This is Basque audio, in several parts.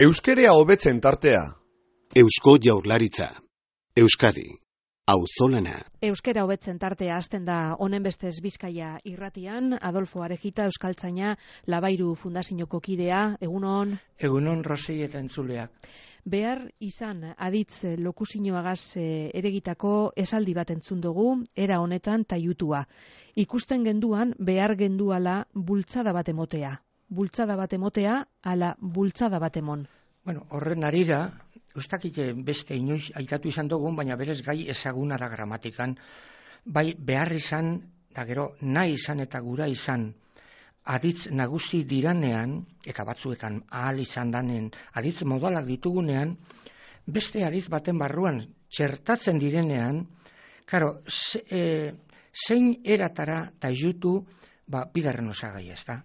Euskerea hobetzen tartea. Eusko Jaurlaritza. Euskadi. Auzolana. Euskera hobetzen tartea hasten da honen bestez Bizkaia irratian. Adolfo Arejita, euskaltzaina, Labairu Fundazioko kidea. Egunon. Egunon Rosei eta entzuleak. Behar izan aditz lokusinoagaz eregitako esaldi bat entzun dugu, era honetan taiutua. Ikusten genduan behar genduala bultzada bat emotea. Bultzada bat emotea, ala bultzada bat emon. Bueno, horren arira, ustakite beste inoiz aitatu izan dugun, baina berez gai ezagunara gramatikan, bai behar izan, da gero nahi izan eta gura izan, aditz nagusi diranean, eta batzuetan ahal izan danen, aditz modalak ditugunean, beste aditz baten barruan txertatzen direnean, karo, zein eratara taiutu, bigarren osagai ez da.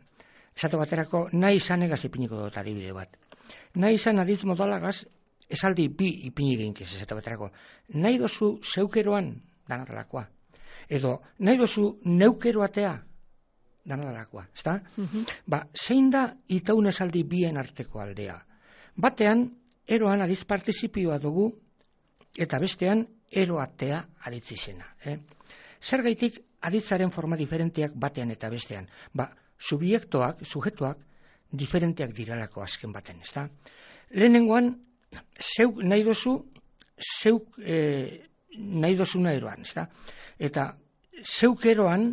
Esate baterako, nahi izan egaz ipiniko dut adibide bat. Nahi izan aditz modalagaz, esaldi bi ipini ginkiz, esate baterako. Nahi dozu zeukeroan, danatalakoa. Edo, nahi dozu neukeroatea, danatalakoa. Ezta? Zein da itaun esaldi bien arteko aldea? Batean, eroan aditz partizipioa dugu, eta bestean, eroatea aditz izena. Zergaitik aditzaren forma diferenteak batean eta bestean. Subiektoak, sujetuak, diferenteak diralako azken baten, ezta? Lehenengoan, zeuk nahi dozu, zeuk nahi dozuna eroan, ezta? Eta zeuk eroan,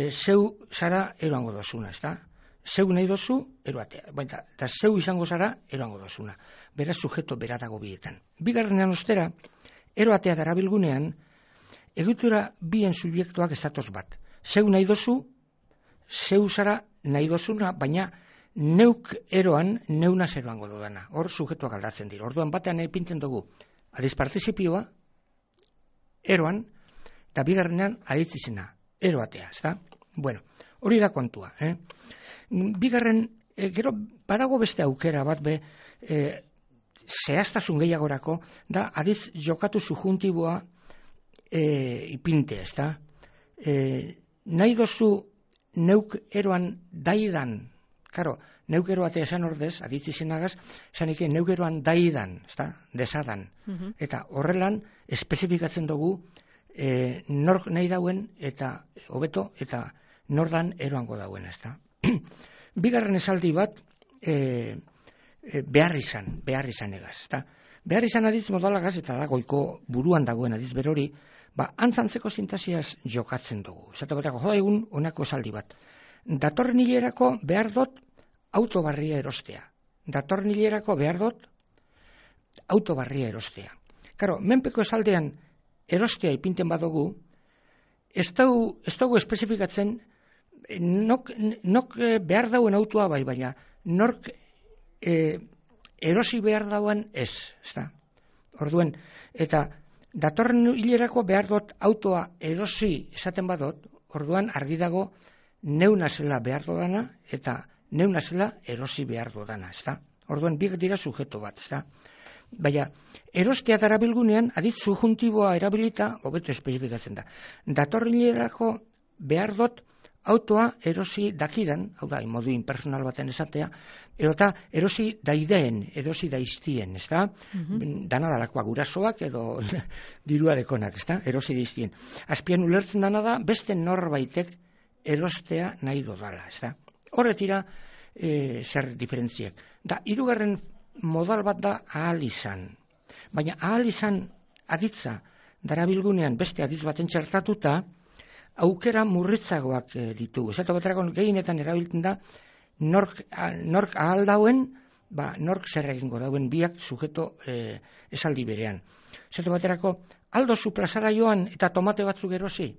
zeu zara eroango dozuna, ezta? Zeuk nahi dozu, eroatea. Eta zeu izango zara, eroango dozuna. Beraz, sujeto bera dago bietan. Bigarrenean ostera, eroatea darabilgunean, egitura bien subiektoak ez datoz bat. Zeu nahi dozu, zeu zara nahi dozuna, baina neuk eroan, neuna zeroango dudana. Hor sujetuak aldatzen dira. Orduan batean ipintzen dugu adiz partizipioa, eroan, eta bigarrenean aditz izena, eroatea, ezta? Bueno, hori da kontua. Bigarren, gero badago beste aukera bat zehaztasun gehiagorako, da adiz jokatu subjuntiboa ipinte, ezta? Nahi dozu neuk eroan daidan, karo, neuk eroatea esan ordez, aditz izenagaz, esanik neuk eroan daidan, desadan. Eta horrelan, espezifikatzen dugu, nork nahi dauen, eta hobeto, eta nordan eroango dauen, ezta. Bigarren esaldi bat, behar izan egaz, ezta. Behar izan aditz modalagaz, eta da goiko buruan dagoen aditz berori, antzantzeko sintasiaz jokatzen dugu. Esate batako, egun honako esaldi bat. Datorren hilerako behar dut autobarria erostea. Datorren hilerako behar dut autobarria erostea. Karo, menpeko esaldean erostea ipinten badugu, ez dugu espezifikatzen nok behar dauen autoa bai, baina nork erosi behar dauen ez. Orduen, eta datorren hilerako behar dut autoa erosi esaten badot, orduan argi dago neuna zela behar dodana eta neuna zela erosi behar dodana, ezta? Orduan biak dira sujeto bat, ezta? Baina, erostea darabilgunean, aditz subjuntiboa erabilita, hobeto espezifikatzen da. Datorren hilerako behar dut autoa erosi dakidan, hau da, modu impersonal baten esatea, edota erosi daideen, erosi daiztien, ezta? Dana dalakoa gurasoak edo dirua dekonak, ezta? Erosi daiztien. Azpian ulertzen dana da, beste norbaitek erostea nahi dodala, ezta? Horretira, zer diferentziak. Da, hirugarren modal bat da ahal izan. Baina ahal izan aditza darabilgunean beste aditz baten txertatuta, aukera murritzagoak ditugu. Esate baterako gehienetan erabiltzen da, nork ahal dauen, nork zer egingo dauen biak sujeto esaldi berean. Esate baterako, aldozu plazara joan eta tomate batzuk erosi.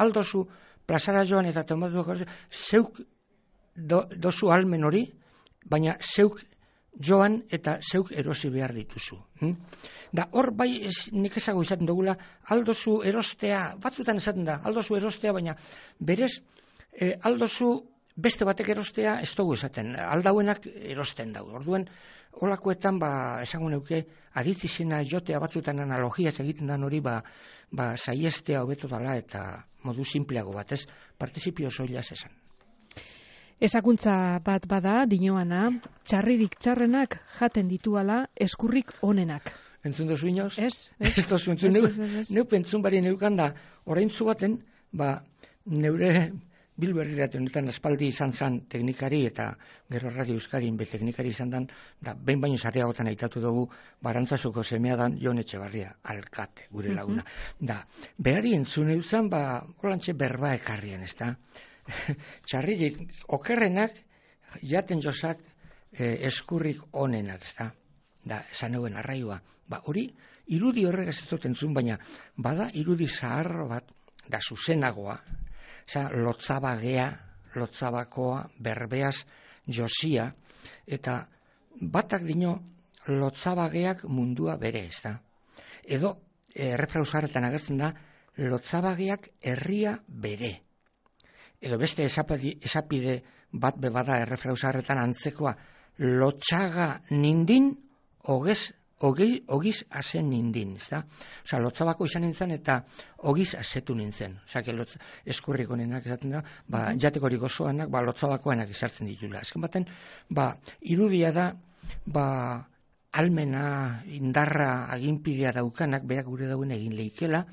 Aldozu plazara joan eta tomate batzuk erosi. Zeuk dozu almen hori, baina zeuk joan eta zeuk erosi behar dituzu. Da hor bai nik ezago izaten dugula, aldozu erostea, batzutan esaten da, aldozu erostea, baina berez aldozu beste batek erostea ez dugu esaten, aldauenak erosten dago. Orduan, holakoetan esango neuke, aditz izena jotea batzutan analogiaz egiten dan hori, saiestea hobeto dala eta modu simpleago batez, partizipio soilaz esan. Ezakuntza bat bada, dinoana, txarririk txarrenak jaten dituala eskurrik onenak. Entzun dozu inoz? Ez. Ez dozu entzun. Neu pentzun bari neukan da, orain zu baten, neure Bilberrirate honetan aspaldi izan zan teknikari eta gero Radio Euskadin be teknikari izan dan, da behin baino zareagotan aitatu dugu Barantzasuko semea dan Jon Etxebarria, alkate, gure laguna. Da, berari entzun euzan, holantxe berba ekarrien, ez da? Txarririk okerrenak jaten josak eskurrik onenak, ez da? Da, esan euen arraioa. Hori, irudi horrek ez dut entzun, baina bada irudi zaharro bat, da zuzenagoa, lotzabagea, lotzabakoa, berbeaz, josia, eta batak dino lotzabageak mundua bere, ez da? Edo, errefrausaretan agertzen da, lotzabageak herria bere. Edo beste esapide bat bebada errefrausaretan antzekoa, lotxaga nindin, ogiz azen nindin, ez da? Osa, lotzabako izan nintzen eta ogiz azetu nintzen. Osa, eskurrik honenak esaten da, jatekorik osoanak, lotzabakoanak izartzen ditula. Ezken baten, irudia da, almena, indarra, aginpidea daukanak, berak gure dauen egin leikela,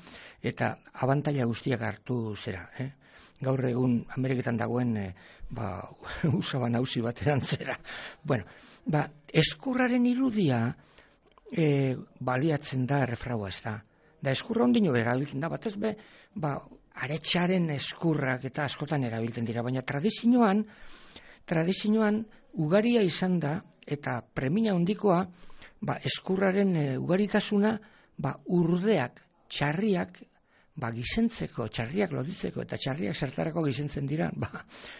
eta abantaila guztiak hartu zera, Gaur egun Ameriketan dagoen usaba nausi batean zera. Bueno, eskurraren irudia baliatzen da errefraua, ez da. Da eskurra ondino erabiltzen da, batez be, aretxaren eskurrak eta askotan erabiltzen dira, baina tradizioan ugaria izan da, eta premia hondikoa, eskurraren ugaritasuna, urdeak, txarriak, gizentzeko, txarriak loditzeko, eta txarriak zertarako gizentzen dira,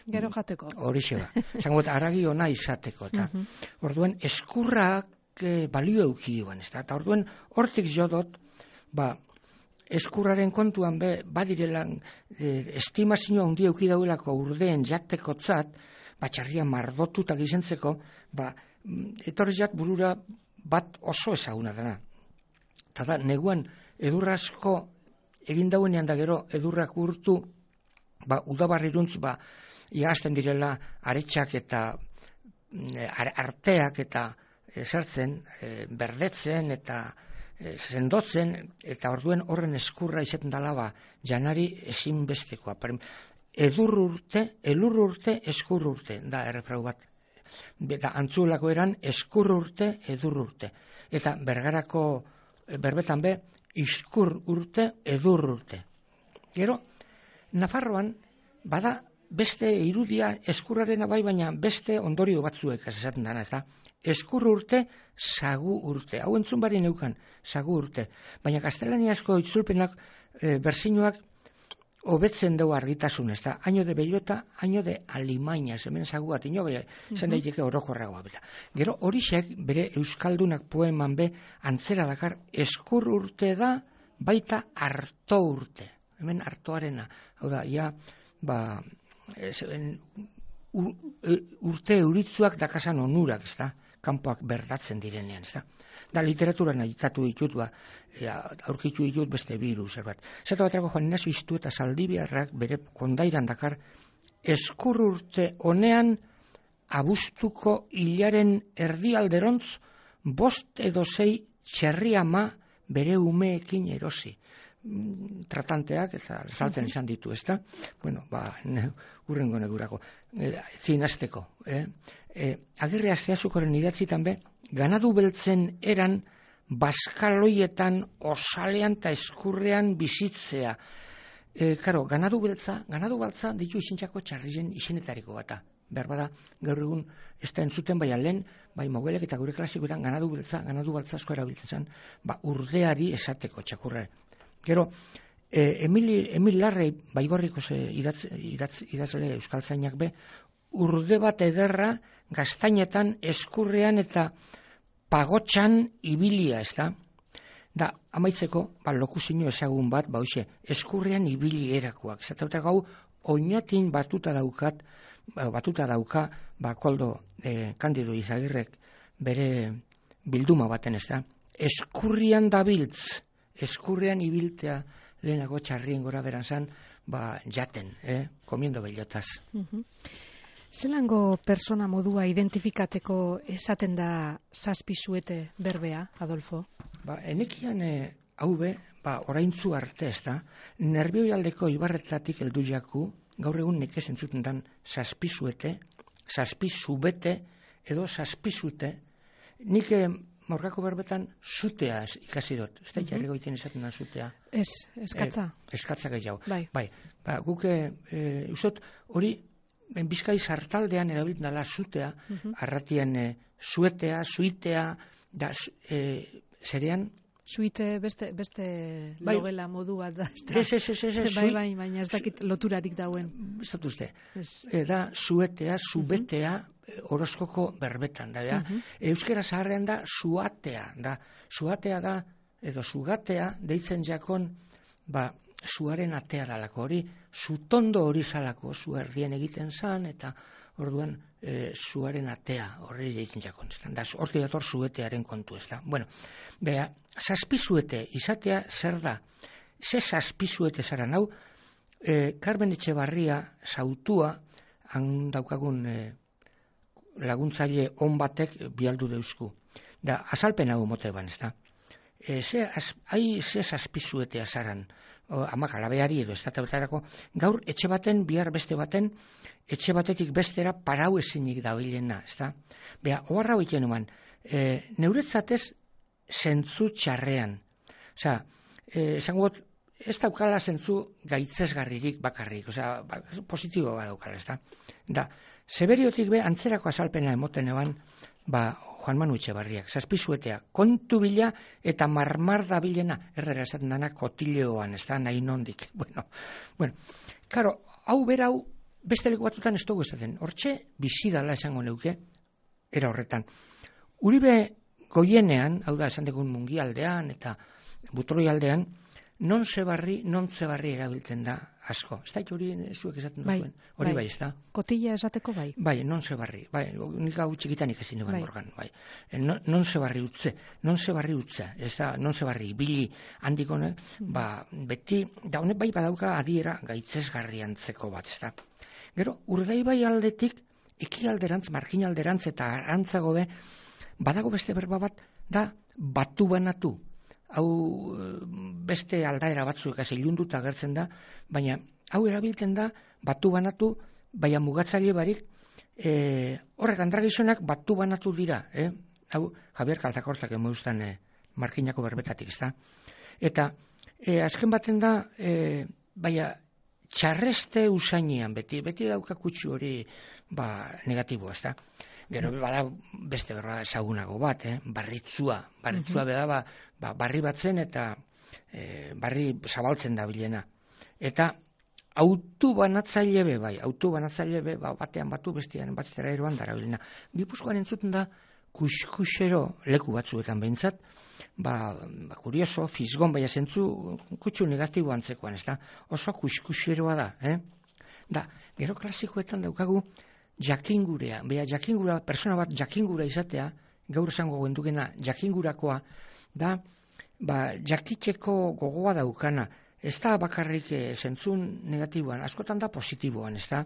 gero jateko. Horixe Zango, aragi ona izateko, eta orduan eskurrak balio eukioan, ez da, eta orduan hortik jodot, eskurraren kontuan badirela estimazioa hundi euki daudelako urdeen jatekotzat, txarria mardotuta gizentzeko, etorriak burura bat oso ezaguna dena. Eta da, neguan edurrasko egin dauenean da gero edurrak urtu, udabarriruntz, iazten direla aretxak eta arteak eta sartzen, berdetzen eta sendotzen, eta orduen horren eskurra izaten dala, janari ezinbestekoa. Elur urte, eskur urte, da errefrau bat. Eta antzulako eran eskur urte, edur urte. Eta berbetan iskur urte, edur urte. Gero, Nafarroan, bada beste irudia eskurrarena baina beste ondorio batzuek esaten dana, ez da? Eskur urte, sagu urte. Hau entzun bari neukan, sagu urte. Baina gaztelaniazko itzulpenak, berzinoak, hobetzen dugu argitasun, ez da? Año de bellota, año de alimaina, hemen sagu bat, zen daiteke orokorragoa. Gero, horixek, bere euskaldunak poeman antzera dakar, eskur urte da, baita harto urte. Hemen hartoarena. Hau da, urte euritzuak dakasan onurak, ez da? Kanpoak berdatzen direnean, ez da? Da literaturan aitatu ditut, aurkitu ditut beste biru, zerbat. Zeta baterako Juan Ignacio Iztu eta Zaldibiarrak bere kondairan dakar, eskur urte honean abuztuko hilaren erdialderontz 5 edo 6 txerri ama bere umeekin erosi. Tratanteak eta saltzen izan ditu, ez da? Bueno, urrengo negurako. Zinazteko. Agirre Asteazukoren idatzitan ganadu beltzen eran baskaloietan, osalean eta eskurrean bizitzea. Ganadu baltza ditu izintzako txarrizen izenetariko bata. Berbara, gaur egun ez da entzuten lehen, mogelek eta gure klasikoetan ganadu baltza asko erabiltzen zen, urdeari esateko txakurra. Gero, Emil Larrei, Baigorriko idazle euskaltzainak urde bat ederra gaztainetan, eskurrean eta pagotxan ibilia, ez da? Da, amaitzeko, lokuzio ezagun bat, eskurrean ibili erakoak. Zata gau, oinatin batuta dauka, Koldo Kandido Izagirrek bere bilduma baten, ez da? Eskurrian dabiltz, eskurrean ibiltea lehenago txarrien gora beran zan, jaten, komiendo bellotas. Zelango persona modua identifikateko esaten da zazpisuete berbea, Adolfo? Enekian hau be, oraintzu arte ez da, nerbioialdeko ibarretatik heldu jaku, gaur egun nekez entzuten dan zazpisuete, zazpisubete edo zazpisute, nik Morgako berbetan zutea ikasi dut. Ez da jarriko iten esaten da zutea. Eskatza. Eskatza gehiago. Bai. Guk ustot hori Bizkai sartaldean erabiltzen dela zutea, arratian zuetea, zuitea, da zerean Suite beste logela modu bat da. Ez. Bai, baina ez dakit loturarik dauen. Ez dut uste. Da zuetea, zubetea, Orozkoko berbetan da. Euskera zaharrean da suatea da. Suatea da, edo sugatea, deitzen jakon, suaren atea dalako hori, zutondo hori zalako, zu erdien egiten zan, eta orduan zuaren atea horri deitzen jakon. Horti dator zuetearen kontu ez da. Bueno, beha, zazpizuete izatea zer da? Ze zazpizuete zara hau, Carmen Etxebarria zautua, han daukagun laguntzaile on batek bialdu deuzku. Da, azalpen hau mote ban, ez da. Ze zazpizuetea zaran, amak alabeari edo ez da, gaur etxe baten, bihar beste baten, etxe batetik bestera parau ezinik dabilena, ez da. Beha, oharra hoiten eman, neuretzatez zentzu txarrean. Osa, esango got, ez daukala zentzu gaitzesgarririk bakarrik, osa, positibo bat daukala, ez da. Da, Seberiotik be, antzerako azalpena emoten eban, Juan Manu Etxebarriak, zazpizuetea, kontu bila eta marmar da bilena, errera esaten dana kotileoan, ez da, nahi nondik. Bueno, karo, hau berau, beste leku batutan ez dugu esaten, hortxe bizidala esango neuke, era horretan. Uribe goienean, hau da, esan degun mungialdean eta butroi aldean, non zebarri erabiltzen da asko. Ez da, hori zuek esaten duzuen. Hori bai, ez da. Kotilla esateko bai. Bai, non zebarri. Bai, nik hau txikitanik ezin duan morgan. Bai. Non zebarri utze. Ez da, non zebarri ibili handikone, beti, da honek bai badauka adiera gaitzesgarriantzeko bat, ez da. Gero, Urdaibai aldetik, ekialderantz, marginalderantz eta arantzago be, badago beste berba bat, da batu banatu. Hau beste aldaera batzuek ilunduta agertzen da, baina hau erabiltzen da batu banatu, baina mugatzaile barik, horrek andragizonak batu banatu dira. Hau Javier Kaltakortak emoiztan markinako berbetatik, ez da. Eta azken baten da, baina txarreste usainean, beti dauka kutsu hori negatiboa, ez da. Gero bada beste berra ezagunago bat, barritzua beda barri batzen eta barri zabaltzen da bilena. Eta autu banatzaile be, batean batu bestean batera eroan darabilena. Gipuzkoan entzuten da kuskusero leku batzuetan behintzat, kurioso, fisgon baina zentzu kutsu negatibo antzekoan, ez da, oso kuskuseroa da, Da, gero klasikoetan daukagu jakingurea, persona bat jakingura izatea, gaur esango gendukena jakingurakoa, da, jakiteko gogoa daukana, ez da bakarrik zentzun negatiboan, askotan da positiboan, ez da,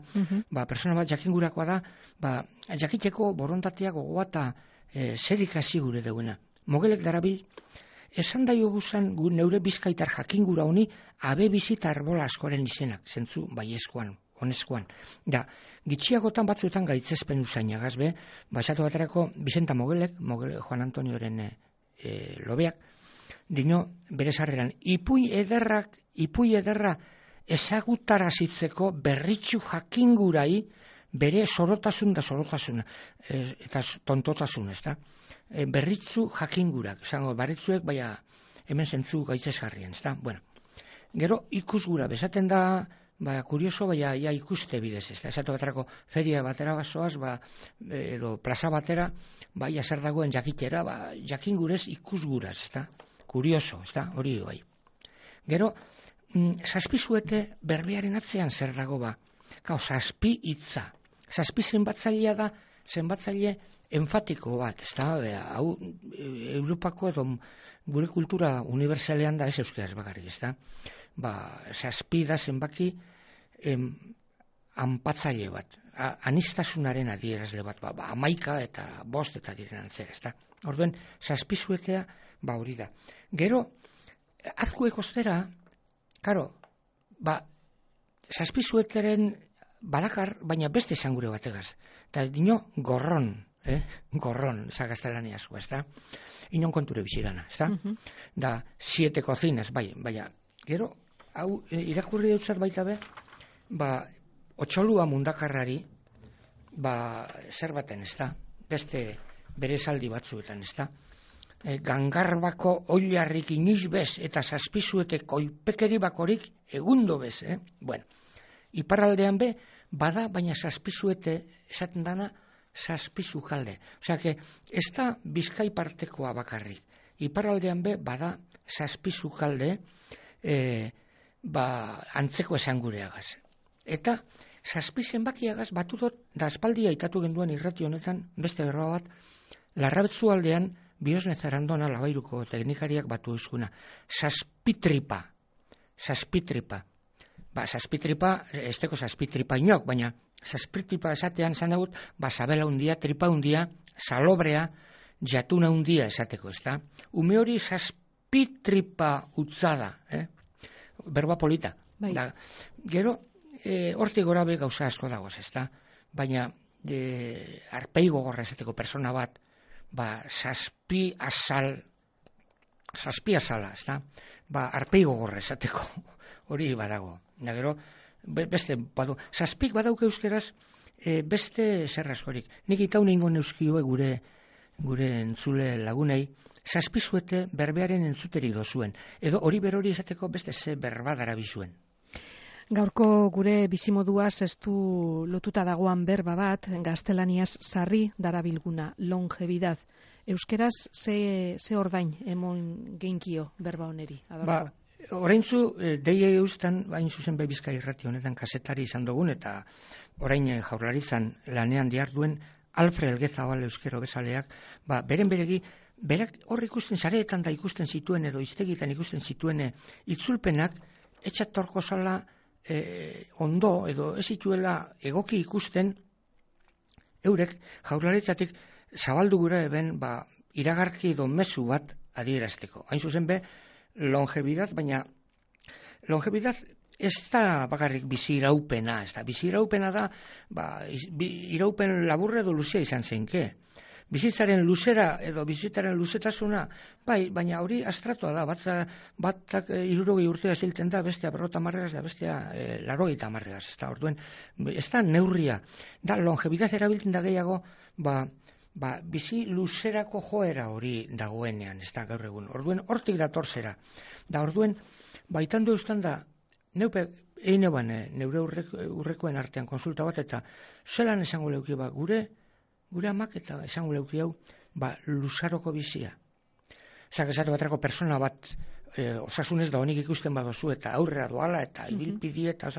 persona bat jakingurakoa da, jakiteko borontatea gogoa eta zer ikasi gure duena. Mogelek darabil, esan daio guzan neure bizkaitar jakingura honi, abe bizita arbola askoren izenak, zentzu baiezkoan, honezkoan. Da, gitxiagotan batzuetan gaitzespen usainagaz be, esatu baterako Vicenta Mogelek, Juan Antonioren lobeak, dino bere sarreran, ipuin ederra ezagutarazitzeko berritxu jakingurai bere zorotasuna, eta tontotasun, ez da? Berritzu jakingurak, esango, berritzuek, baina hemen zentzu gaitzesgarrien, ez da? Bueno, gero ikusgura, bezaten da, kurioso, baina ikuste bidez, ez da? Esatu baterako feria batera bazoaz, edo plaza batera, zer dagoen jakitera, jakingurez ikusguraz, ez da? Kurioso, ez da? Hori bai. Gero, zazpizuete berbearen atzean zer dago zazpi hitza. Zazpi zenbatzailea da, zenbatzaile enfatiko bat, ez da? Hau, Europako edo gure kultura universalean da ez euskeraz bakarrik, ez da? Zazpi da zenbaki anpatzaile bat, anistasunaren adierazle bat, 11 eta 5 eta diren antzera, ezta? Orduen, zazpizuetea, hori da. Gero, azkuek ostera, karo, zazpizueteren balakar, baina beste esangure bategaz. Eta dino, gorron, gorron, zagaztelaniazko, ezta? Inon konture bizirana, ezta? Da, 7 cocinas, baina, gero, hau, irakurri dutzat baita be, otxolua mundakarrari, zer baten, ezta? Beste bere esaldi batzuetan, ezta? Gangarbako oilarrik iniz bez eta zazpizueteko ipekeri bakorik egundo bez, Bueno, iparraldean be, bada, baina zazpizuete esaten dana zazpizukalde. Osea, que ez da Bizkai partekoa bakarrik. Iparraldean be, bada zazpizukalde antzeko esangureagaz. Eta zazpi zenbakiagaz batu dut, da aspaldi aitatu genduen irrati honetan, beste berroa bat, Larrabetzu aldean Biosne Zarandona Labairuko teknikariak batu izkuna. Zazpitripa. Zazpitripa, ez teko zazpitripa inok, baina zazpitripa esatean zan dagut, sabela hundia, tripa hundia, salobrea, jatuna hundia esateko, ezta? Ume hori zazpitripa utzada, berba polita. Gero, hortik gora be gauza asko dagoz, ezta? Baina, arpeigo gorra esateko persona bat, zazpi azala, ezta? Arpeigo gorra esateko, hori badago. Da gero, beste, zazpik badauke euskeraz, beste zer askorik. Nik itau ningo neuskioe gure entzule lagunei, zazpizuete berbearen entzuterik dozuen. Edo hori berori esateko beste ze berba darabizuen. Gaurko gure bizimoduaz ez du lotuta dagoan berba bat, gaztelaniaz sarri darabilguna, longevidad. Euskeraz ze ordain emon geinkio berba honeri? Oraintzu, deie eustan, bain zuzen Bizkai irrati honetan kasetari izan dugun, eta orain Jaurlaritzan lanean diharduen Alfred Elgezabal euskero bezaleak, beren beregi, berak hor ikusten sareetan da ikusten zituen edo iztegitan ikusten zituen itzulpenak, etxatorko zala ondo edo ez zituela egoki ikusten eurek Jaurlaritzatik zabaldu gura eben iragarki edo mezu bat adierazteko. Hain zuzen be, longevidad, baina longevidad ez da bakarrik bizi iraupena, ez da, bizi iraupena da, iraupen laburre edo luzea izan zenke. Bizitzaren luzera edo bizitzaren luzetasuna, baina hori astratua da, batak 60 urtea zilten da, bestea 50 marregaz da, bestea 80 marregaz, ez da, orduen, ez da neurria, da longevidad erabiltzen da gehiago, bizi luzerako joera hori dagoenean, ez da gaur egun. Orduen, hortik dator zera. Da orduen, baitan deustan da, neupe, neure urrekoen artean konsulta bat, eta zelan esango leuki gure amak eta esango leuki hau, luzaroko bizia. Zak esate baterako persona bat, osasunez da honik ikusten badozu, eta aurrera doala, eta ibilpidi, eta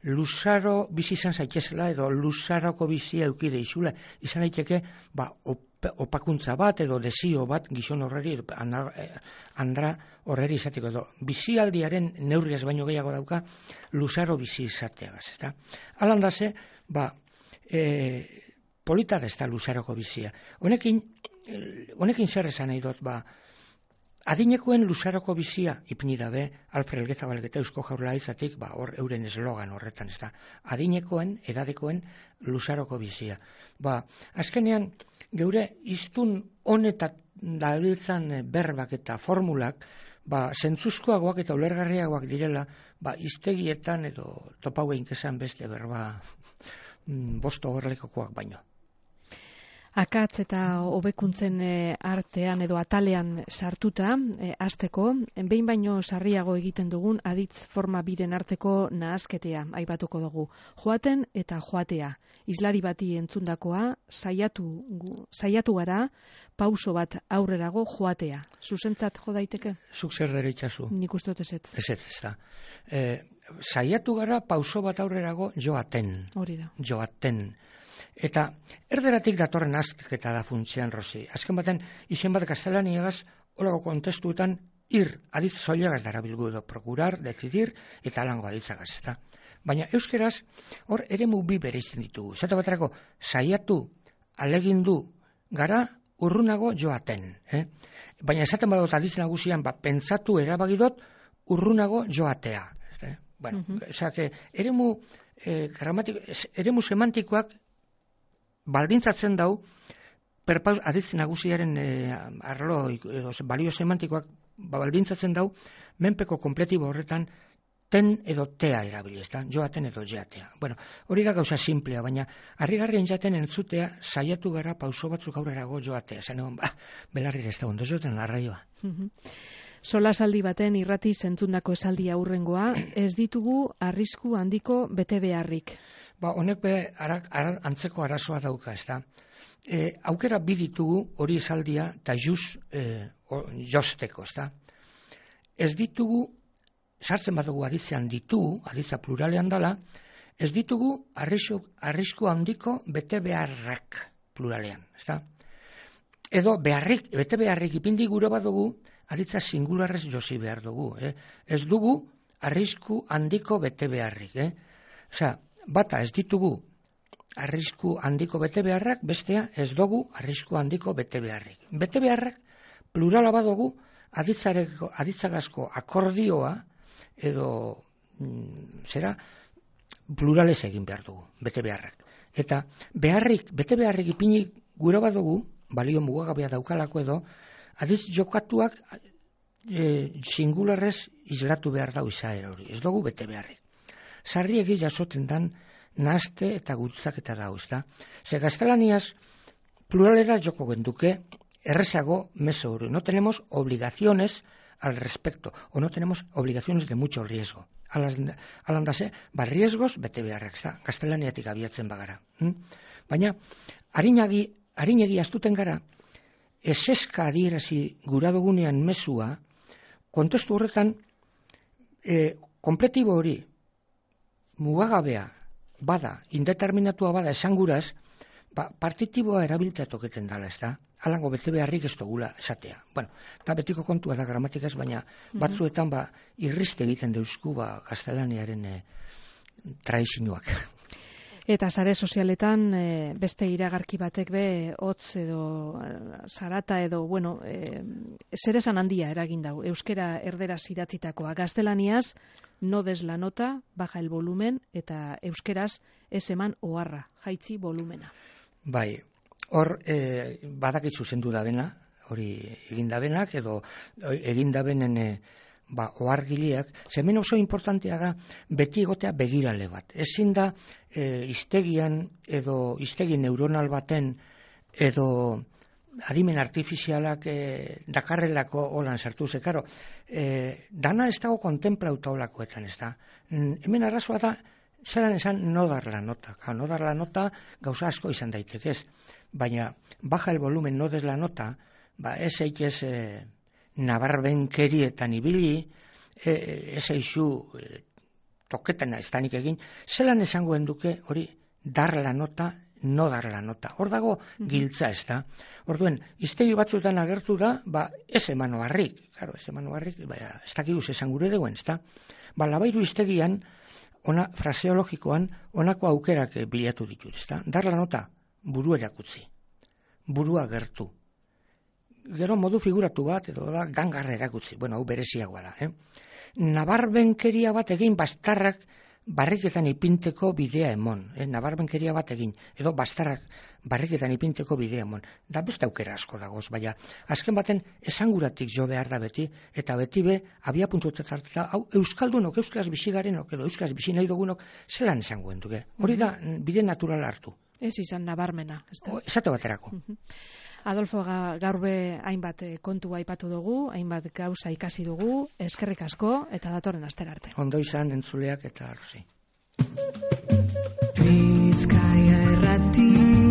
luzaro bizi izan zaitezela, edo luzaroko bizia eukide izula, izan daiteke, opakuntza bat, edo desio bat, gizon horreri, andra horreri izateko, edo bizialdiaren neurriaz baino gehiago dauka, luzaro bizi izateagaz, eta alandaze, polita da ez da luzaroko bizia. Honekin zer esan nahi dut, adinekoen luzaroko bizia ipini dabe, Alfred Elgezabal eta Eusko Jaurlaritzatik, hor euren eslogan horretan, ez da, adinekoen, edadekoen luzaroko bizia. Azkenean, geure iztun honetan dabiltzan berbak eta formulak, zentzuzkoagoak eta ulergarriagoak direla, iztegietan edo topauein kezan beste berba bosto horrelikokoak baino. Akatz eta hobekuntzen artean edo atalean sartuta, hasteko, behin baino sarriago egiten dugun aditz forma biren arteko nahasketea aipatuko dugu. Joaten eta joatea. Islari bati entzundakoa, saiatu gara, pauso bat aurrerago joatea. Zuzentzat jo daiteke? Zuk zer dere itxasu? Nik uste dut ezetz. Ezetz, ez da. Saiatu gara, pauso bat aurrerago joaten. Hori da. Joaten. Eta erderatik datorren azketa da funtzean, Rosi. Azken baten, izen bat gaztelaniagaz, holako kontestuetan, aditz zoilagaz darabilgu edo procurar, decidir, eta alango aditzagaz, eta Baina euskeraz, hor eremu bi bereizten ditugu. Zata baterako, saiatu, alegindu, gara urrunago joaten. Baina esaten badot adiz nagusian, pentsatu erabagidot urrunago joatea. Bueno, eremu semantikoak baldintzatzen dau, adiz nagusiaren arlo edo balio semantikoak baldintzatzen dau, menpeko kompletibo horretan ten edo tea erabili, joaten edo jeatea. Bueno, hori da gauza simplea, baina harrigarrien jaten entzutea saiatu gara pauso batzuk aurrerago joatea. Zanegon, belarri ez da ondo joten arraioa. Solasaldi baten irrati zentzundako esaldi aurrengoa, ez ditugu arrisku handiko bete beharrik. Honek antzeko arazoa dauka, ez da. Aukera bi ditugu hori esaldia eta josteko, ez da. Ez ditugu, sartzen badugu aditzean ditugu, aditza pluralean dala, ez ditugu arrisku handiko bete beharrak pluralean, ez da. Edo bete beharrik ipindi gure badugu, aditza singularrez josi behar dugu. Ez dugu arrisku handiko bete beharrik. Bata ez ditugu arrisku handiko bete beharrak, bestea ez dugu arrisku handiko bete beharrik. Bete beharrak plurala badugu aditzagazko akordioa edo pluralez egin behar dugu, bete beharrak. Eta bete beharrik ipini gure badugu, balio mugagabea daukalako edo, adiz jokatuak singularrez islatu behar dau izaera hori. Ez dugu bete beharrik. Sarriegi jasoten dan nahazte eta gutzaketa dau, ezta? Ze gaztelaniaz pluralera joko genduke errezago meso hori. No tenemos obligaciones al respecto, o no tenemos obligaciones de mucho riesgo. Alandase, riesgos bete beharrak, ezta? Gaztelaniatik abiatzen bagara. Baina, harinegi astuten gara, eseska adierazi gura dugunean mesua, kontestu horretan, kompletibo hori, mugagabea bada, indeterminatua bada esanguraz, partitiboa erabiltea toketen dala, ez da? Alango bete beharrik ez dugula esatea. Bueno, da betiko kontua da gramatikaz, baina batzuetan irriste egiten deusku gaztelaniaren tradizioak. Eta sare sozialetan beste iragarki batek hotz edo zarata edo, zeresan handia eragin dau. Euskera erderaz idatzitakoa. Gaztelaniaz, no des la nota, baja el volumen, eta euskeraz ez eman oharra, jaitzi volumena. Bai, hor badakitzu zendu da bena, hori egin da benak, edo egin da benen ohargileak, hemen oso importantea da beti egotea begirale bat. Ezin da hiztegian edo hiztegi neuronal baten edo adimen artifizialak dakarrelako holan sartu ze, karo, dana ez dago kontemplauta holakoetan, ez da. Hemen arrazoa da, zelan esan no dar la nota. No dar la nota gauza asko izan daiteke, ez. Baina, baja el volumen, no des la nota, ez eitez nabarbenkerietan ibili, ez eixu toketena ez danik egin, zelan esangoen duke hori dar la nota, no dar la nota. Hor dago giltza, ez da. Orduen, hiztegi batzuetan agertu da, ez eman oharrik. Claro, ez eman oharrik, ez dakiguz esan gure deuen, ez da. Labairu hiztegian, fraseologikoan, honako aukerak bilatu ditu, ez da. Dar la nota, buru erakutzi. Burua gertu. Gero modu figuratu bat, edo da, gangarra erakutzi. Hau bereziagoa da. Nabarbenkeria bat egin bastarrak barriketan ipinteko bidea emon. Nabarbenkeria bat egin, edo bastarrak barriketan ipinteko bidea emon. Da beste aukera asko dagoz, baina azken baten esanguratik jo behar da beti, eta beti abia puntuetan hartuta, hau euskaldunok, euskaraz bizigarenok, edo euskaraz bizi nahi dugunok, zelan esangoen duke. Hori da bide naturala hartu. Ez izan nabarmena. Esate baterako. Adolfo, gaur hainbat kontua aipatu dugu, hainbat gauza ikasi dugu, eskerrik asko eta datorren astera arte. Ondo izan entzuleak eta arrozi. Bizkaia Irrati